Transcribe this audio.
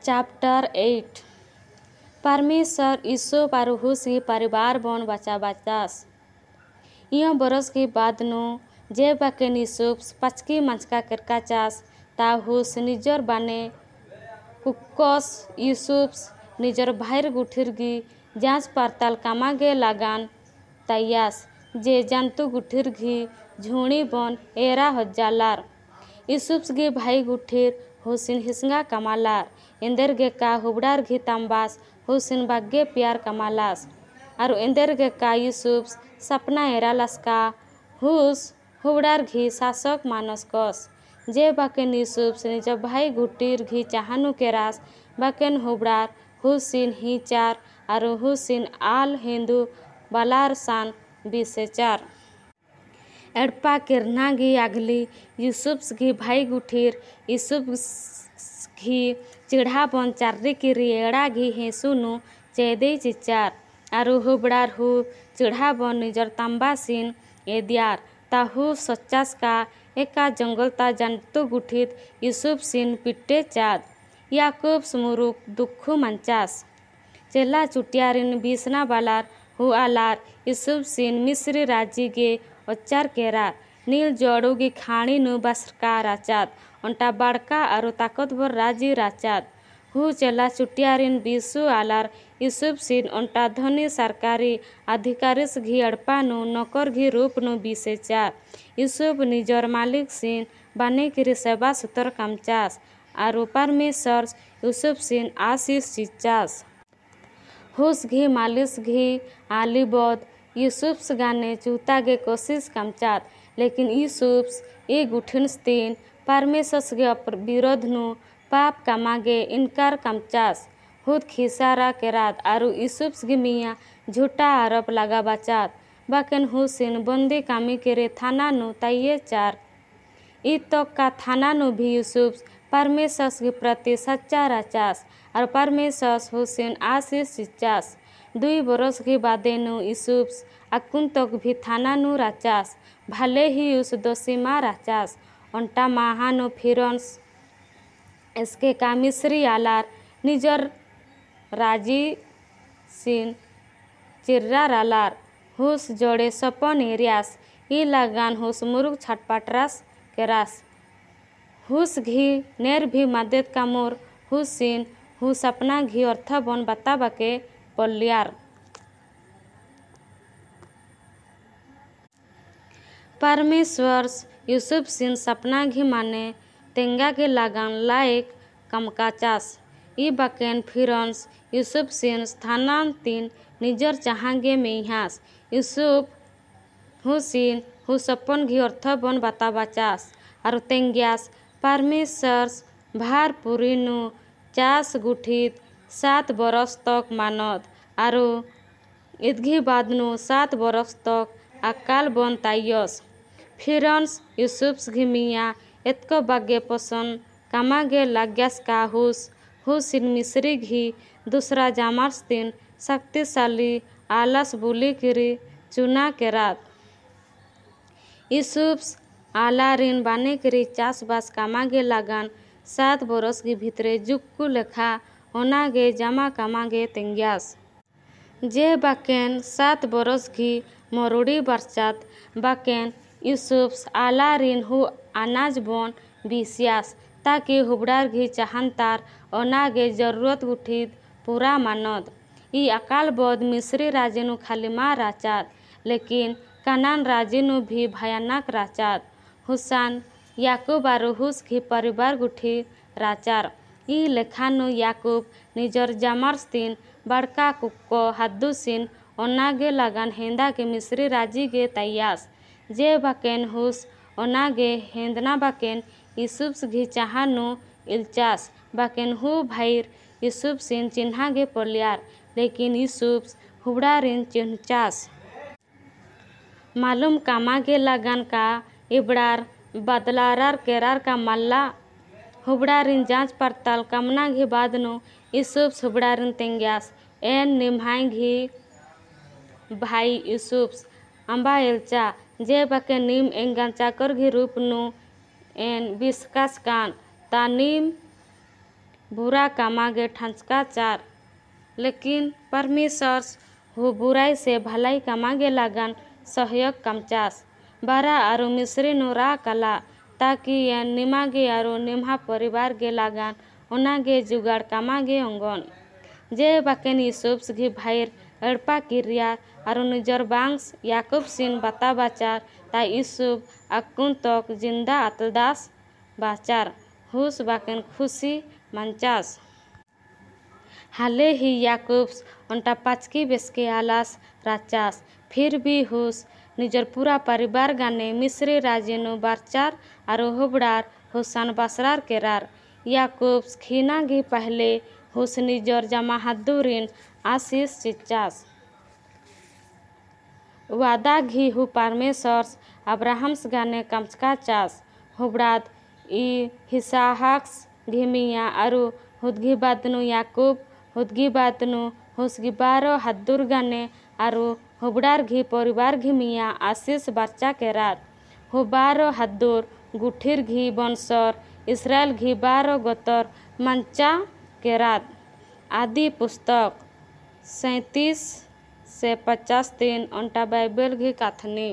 Chapter 8। परमेश्वर यूसुफ और हुस परिवार बन बचा बचास। इं बरस के बाद नु जे बाकेन यूसुफ पचकी मंचका करका चास ता हुस निजर बाने कुक्कस यूसुफ निजर भाईर गुठिरगी जांच पड़ताल कामागे लागान तायास जे जंतु गुठिरगी झुणी बन एरा हजालार। यूसुफ गे भाई गुठिर हुसिन हिसंगा कमालार इंदर गे का हुबड़ार घी तांबास हुसिन बागे प्यार कमालास और इंदर गे का यूसुफ सपना एरा लसका हुस हुबड़ार घी शासक मानस कस। जे बाकेन यूसुफ निज भाई गुटीर घी चाहानु केरास बाकेन हुबड़ार हुसिन हिचार और हुसिन आल हिंदू बालार सान बिसेचार। एड़पा किरना घी आगली यूसुफ घी भाई गुठीर यूसुफ घी चिढ़ा बन चार्री किरी एड़ा घी हेसुनु चेदे चिचार और हुबड़ार who चिढ़ा बन निजर तांबा सिन एदियार ताहु सच्चास का एका जंगल ता जंतु गुठित यूसुफ सिन पिट्टे चाद। याकूब मुरुक दुखु मंचास चेला चुटियारिन बीसना बालार who आलार यूसुफ सिन मिस्री राज्य गे अच्चार केरा नील जड़ोगी खाणी नु बसरका राचात अंटा बड़का और ताकतवर राज्य राचात। हु चेला चुटियारिन बीसु आलार यूसुफ सिन अंटा धनी सरकारी अधिकारी घी अड़पा नु नौकर घी रूप नु बीसे चार। यूसुफ निजर मालिक सिन बाने किरी सेवा सुतर कामचास और परमेश्वर यूसुफ सिन आशीष चिचास। हुस घी मालिश घी आली बद यूसुफ गाने चूता गे कोशिश कामचात लेकिन यूसुफ ए गुठिन तीन परमेश्वर के विरोध नु पाप कामागे इनकार कामचास। हुद खिसारा केरात आरु यूसुफ गे मियाँ झूठा आरोप लगा बचात बाकेन हुसिन बंदी कामी केरे थाना नु ताइये चार। इ तक का थाना नु भी यूसुफ परमेश्वर के प्रति सच्चा राचास और परमेश्वर हुसिन आशीष सिचास। 2 बरस के बादे नु यूसुफ अकुन तक भी थाना नु राचास भले ही उस दोषी माँ राचास। अंटा माहानु फिरंस इसके का मिस्री आलार निजर राजी सिन चिर्रा रालार हुस जोड़े सपन एरियास ई लगान हुस मुरुक छटपटरास केरास। हुस घी नेर भी मदद का मोर हुसिन हुस अपना घी अर्थ बन बता बके पल्यार। परमेश्वर यूसुफ सिन सपना घी माने तेंगा के लगान लायक कमकाचास। ई बाकेन फिरंस यूसुफ सिन स्थानान तीन निजर चाहांगे मेहास यूसुफ हुसिन who सपन घी अर्थ बन बता बचास और तेंग्यास। परमेश्वर भार पुरीनु चास गुठित 7 बरस तक मानद और इदघी बादनु 7 बरस तक अकाल बन ताइयस। फिरंस यूसुफ घी मियाँ एतको बागे पसंद कामागे लाग्यास का हुस हुसिन मिस्री घी दूसरा जामार्स तीन शक्तिशाली आलस बुली किरी चुना केरात। यूसुफ आला रिन बाने किरी चासबास कामागे लागान 7 बरस के भीतरे जुक्कू लेखा ओनागे जमा कामागे तेंग्यास। जे बाकेन 7 बरस घी मरुड़ी बरसात बाकेन यूसुफ आला रिन who अनाज बन बिसियास ताकि हुबड़ार घी चाहनतार ओनागे जरूरत गुठित पूरा मानद। ई अकाल बद मिस्री राजेनु खाली माँ राचात लेकिन कनान राजेनु भी भयानक राचात। हुसान याकूब और हुस घी परिवार गुठी राचार। ई लेखानु याकूब निजर जामार्स तीन बड़का कुक्को हादुसिन ओनागे लगान हेंदा के मिस्री राजी गे तैयास। जे बाकेन हुस ओनागे हेंदना बाकेन यूसुफ घी चाहानु इलचास बाकेन who भाईर यूसुफ सिन चिन्हा गे पलियार लेकिन यूसुफ हुबड़ारिन चिन्हचास। मालूम कामागे लगान का इबड़ार बदलारार केरार का मल्ला हुबड़ारिन जांच पड़ताल कामना घी बादनु यूसुफ हुबड़ारिन तेंग्यास एन निम्हाई घी भाई यूसुफ अम्बा एलचा जे बाके नीम एंगान चाकर घी रूप नु एन बिस्कास कान ता नीम बुरा कामागे ठांचका चार। लेकिन परमेश्वर हु बुराई से भलाई कामागे लागन सहयोग कमचास। बारा आरु मिस्री नु रा कला ताकि यन निमागे आरु निम्हा परिवार गे लागन ओनागे जुगाड़ कामागे ओंगन। जे बाकेन यूसुफ घी भाईर एड़पा किरिया आरु निजर बांस याकूब सिन बाता बाचार ता यूसुफ अकुन तक जिंदा आतलदास बाचार हुस बाकेन खुशी मंचास। हाले ही याकूब उनटा पाचकी बेसके आलास राचास फिर भी हुस निजर पूरा परिवार गाने मिस्री राज्य बारचार आरु हुबड़ार हुसान बासरार केरार। याकूब खीना घी पहले हुस निजर जमा हादुरिन आशीष चिचास। वादा घी who परमेश्वर अब्राहम्स गाने कमचका चास हुबड़ाद ई हिसाहक्स घिमिया आरु हुदगी बादनु याकूब हुदगी बादनु हुसगी बारो हादुर गाने आरु हुबड़ार घी परिवार घिमिया आशीष बारचा केरार। Who बारो हादुर गुठीर घी बंसर इसराइल घी बारो गोतर मंचा केरात। आदि पुस्तक 37 से 53 अंटा बाइबल घी कथनी।